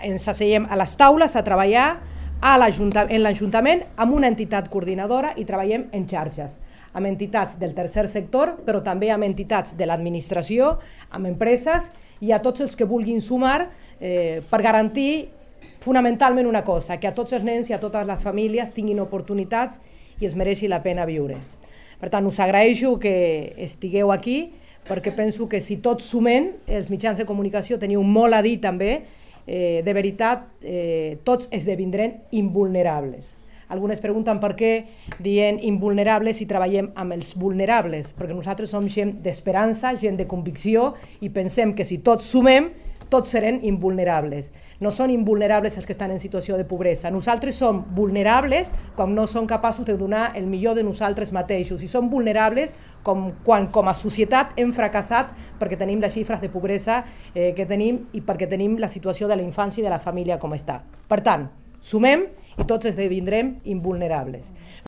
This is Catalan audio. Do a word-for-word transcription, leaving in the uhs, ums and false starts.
ens asseiem a les taules a treballar a en l'Ajuntament amb una entitat coordinadora i treballem en xarxes, amb entitats del tercer sector, però també amb entitats de l'administració, amb empreses i a tots els que vulguin sumar eh, per garantir fonamentalment una cosa, que a tots els nens i a totes les famílies tinguin oportunitats i es mereixi la pena viure. Per tant, us agraeixo que estigueu aquí, perquè penso que si tots sumem, els mitjans de comunicació teniu molt a dir també, eh, de veritat, eh, tots esdevindrem invulnerables. Algunes pregunten per què dient invulnerables i treballem amb els vulnerables, perquè nosaltres som gent d'esperança, gent de convicció i pensem que si tots sumem, tots serem invulnerables. No són invulnerables els que estan en situació de pobresa. Nosaltres som vulnerables quan no som capaços de donar el millor de nosaltres mateixos i som vulnerables com, quan com a societat hem fracassat perquè tenim les xifres de pobresa eh, que tenim i perquè tenim la situació de la infància i de la família com està. Per tant, sumem i tots esdevindrem invulnerables.